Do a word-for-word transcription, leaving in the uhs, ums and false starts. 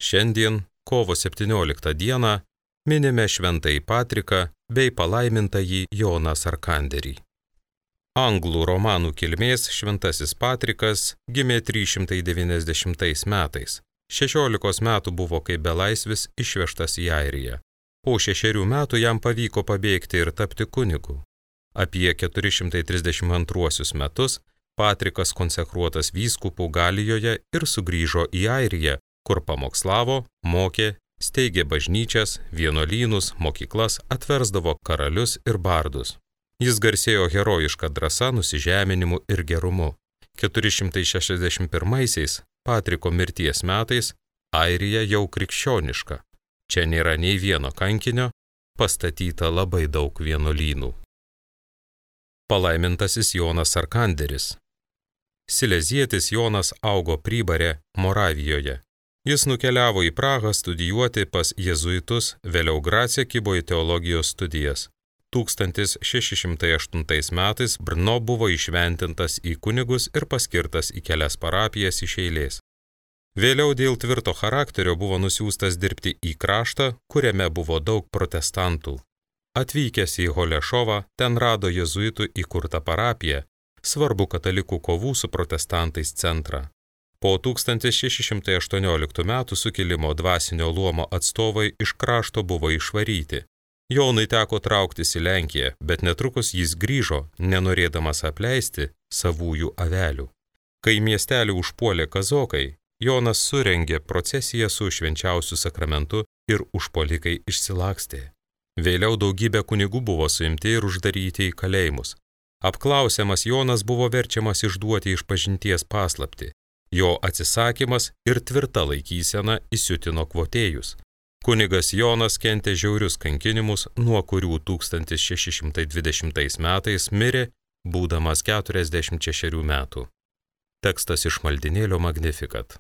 Šiandien, kovo septynioliktą dieną, minime Šventąjį Patriką bei palaimintąjį Joną Sarkanderį. Anglų romanų kilmės Šventasis Patrikas gimė trys šimtai devyniasdešimtais metais. šešiolikos metų buvo kaip belaisvis išvežtas į Airiją. Po šešerių metų jam pavyko pabėgti ir tapti kunigu. Apie keturi šimtai trisdešimt antruosius metus Patrikas konsekruotas vyskupų Galijoje ir sugrįžo į Airiją, kur pamokslavo, mokė, steigė bažnyčias, vienuolynus, mokyklas, atversdavo karalius ir bardus. Jis garsėjo herojiška drąsa, nusižeminimu ir gerumu. keturi šimtai šešiasdešimt pirmaisiais Patriko mirties metais Airija jau krikščioniška. Čia nėra nei vieno kankinio, pastatyta labai daug vienuolynų. Palaimintasis Jonas Sarkanderis. Silezietis Jonas augo Pribare, Moravijoje. Jis nukeliavo į Prahą studijuoti pas jėzuitus, vėliau Grace kibo į teologijos studijas. tūkstantis šeši šimtai aštuntais metais Brno buvo įšventintas į kunigus ir paskirtas į kelias parapijas iš eilės. Vėliau dėl tvirto charakterio buvo nusiųstas dirbti į kraštą, kuriame buvo daug protestantų. Atvykęs į Holešovą, ten rado jėzuitų įkurtą parapiją, svarbu katalikų kovų su protestantais centrą. Po tūkstantis šeši šimtai aštuonioliktų metų sukilimo dvasinio luomo atstovai iš krašto buvo išvaryti. Jonui teko trauktis į Lenkiją, bet netrukus jis grįžo, nenorėdamas apleisti savųjų avelių. Kai miestelį užpuolė kazokai, Jonas surengė procesiją su švenčiausiu sakramentu ir užpuolikai išsilakstė. Vėliau daugybė kunigų buvo suimti ir uždaryti į kalėjimus. Apklausiamas Jonas buvo verčiamas išduoti išpažinties paslaptį. Jo atsisakymas ir tvirta laikysena įsiutino kvotėjus. Kunigas Jonas kentė žiaurius kankinimus, nuo kurių tūkstantis šeši šimtai dvidešimtais metais mirė, būdamas keturiasdešimt šešerių metų. Tekstas iš maldynėlio Magnificat.